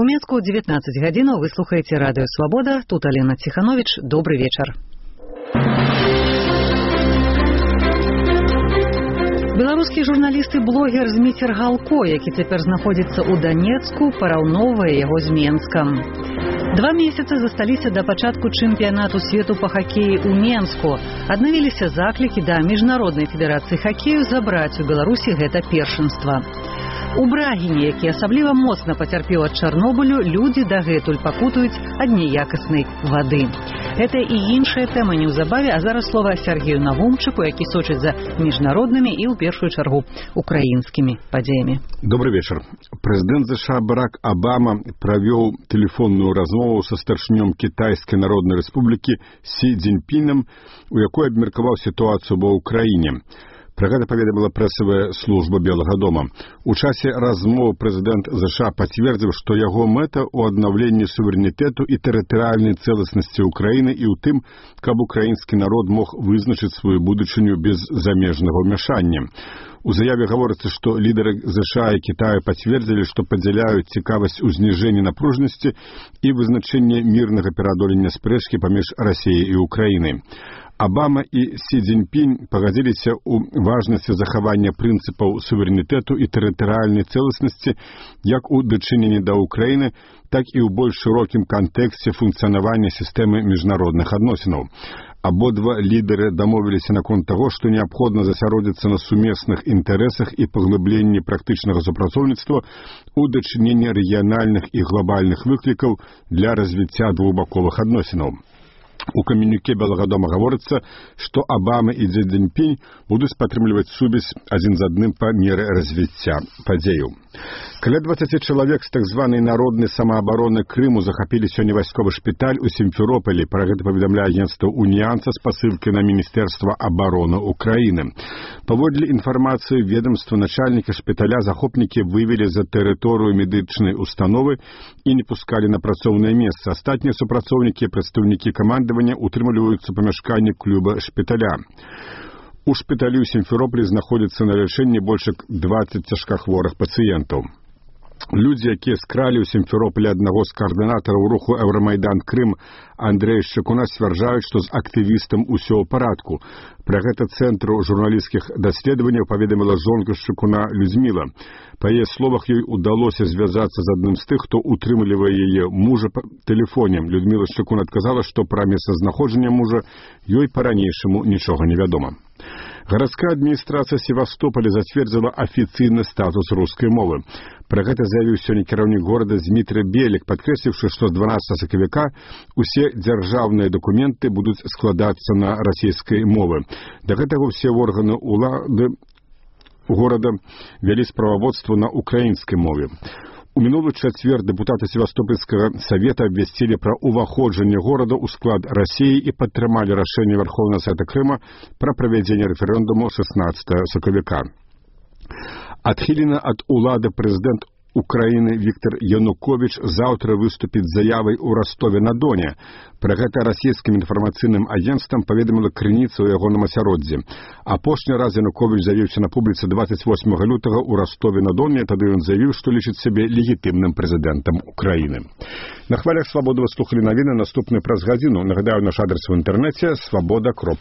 У Мінску 19 гадзінаў вы слухаеце радыё Свабода. Тут Алена Ціхановіч. Добры вечар. Беларускі журналіст і блогер Зміцер Галко, які цяпер знаходзіцца ў Данецку, параўноўвае яго з Менскам. 2 месяцы засталіся да пачатку чэмпіянату свету па хакеі ў Менску. Аднавіліся заклікі да міжнароднай федэрацыі хакею забраць у Беларусі гэта першынства. У Брагіне, які асабліва моцна пацярпеў ад Чарнобылю, людзі дагэтуль пакутаюць ад няякаснай вады. Гэта і іншая тэма неўзабаве, а зараз слова Сергею Навумчыку, які сочыць за міжнароднымі і, ў першую чаргу, украінскімі падзеямі. Добрый вечар. Прэзідэнт США Барак Абама правёў тэлефонную размову са старшынём Кітайскай Народнай Рэспублікі Сі Цзіньпінам, у якой абмеркаваў сітуацыю ва ўкраіне. Пра гэта паведаміла прэсавая служба Белага дома. У часе размовы прэзідэнт США пацвердзіў, што яго мэта ў аднаўленні суверэнітэту і тэрытарыяльнай цэласнасці ўкраіны і ў тым, каб украінскі народ мог вызначыць сваю будучыню без замежнага ўмяшання. У заяве гаворыцца, што лідары США і Кітаю пацвердзілі, што падзяляюць цікавасць у зніжэнні напружанасці і вызначэння мірнага пераадолення спрэчкі паміж Расіяй і Украінай. Абама і Сі Цзіньпінь пагадзіліся ў важнасці захавання прынцыпаў суверэнітэту і тэрытарыяльнай цэласнасці як у дачыненні да Ўкраіны, так і ў больш шырокім кантэксце функцыянавання сістэмы міжнародных адносінаў. Абодва лідары дамовіліся наконт таго, што неабходна засяродзіцца на сумесных інтарэсах і паглыбленні практычнага супрацоўніцтва ў дачыненні рэгіянальных і глобальных выклікаў для развіцця двухбаковых адносінаў. У камюніке Белага дома гаворыцца, што Абама і Сі Цзіньпінь будуць падтрымліваць сувязь адзін з адным па меры развіцця падзеяў. Каля 20 чалавек з так званай народнай самаабароны Крыму захапілі сёння вайсковы шпіталь у Сімферополі. Пра гэта паведамляе агенцтва «Уніянса» з пасылкай на Міністэрства абароны Украіны. Паводле інфармацыі ведамства начальніка шпіталя захопнікі вывелі за тэрыторыю медычнай установы і не пускалі на працоўнае месца. Астатнія супрацоўнікі і прадстаўнікі камандавання утрымліваюцца ў памяшканні клуба шпіталя. У шпіталі ў Сімферополі знаходзіцца на лячэнні больш як 20 цяжкахворых пацыентаў. Людзі, якія скралі ў Сімферополі аднаго з каардынатараў руху «Еўрамайдан Крым» Андрэя Шчыкуна, сцвярджаюць, што з актывістам усё ў парадку. Пра гэта цэнтру журналісцкіх даследаванняў паведаміла жонка Шчыкуна Людміла. Па яе словах, ёй удалося звязацца з адным з тых, хто утрымлівае яе мужа па тэлефоне. Людміла Шчыкун адказала, што пра месцазнаходжанне мужа ёй па-ранейшаму нічога не вядома. Гарадская адміністрацыя Севастополя зацвердзіла афіцыйны статус рускай мовы. Пра гэта заявіў сёння кіраўнік горада Змітрый Белік, падкрэсліўшы, што з 12 сакавіка усе дзяржаўныя дакументы будуць складацца на расійскай мовы. Да гэтага ўсе органы ўлады горада вялі справаводства на украінскай мове. У мінулы чацвер дэпутаты Севастопольскага савета абвясцілі пра ўваходжанне горада ў склад Расіі і падтрымалі рашэнне Верховнага Савета Крыма пра правядзенне рэферэндуму 16 сакавіка. Адхілены ад улады прэзідэнт Украіны Віктор Януковіч заўтра выступіць з заявай у Ростове-на-Доне. Пра гэта расійскім інфармацыйным агенцтвам паведаміла крыніца ў ягоным асяроддзі. Апошні раз Януковіч заявіўся на публіцы 28 лютага ў Ростове-на-Доне, тады ён заявіў, што лічыць сябе легітымным прэзідэнтам Украіны. На хвалях Свабоды вы слухалі навіны, наступны праз гадзіну. Нагадаю, наш адрес в інтэрнэце свабода.орг.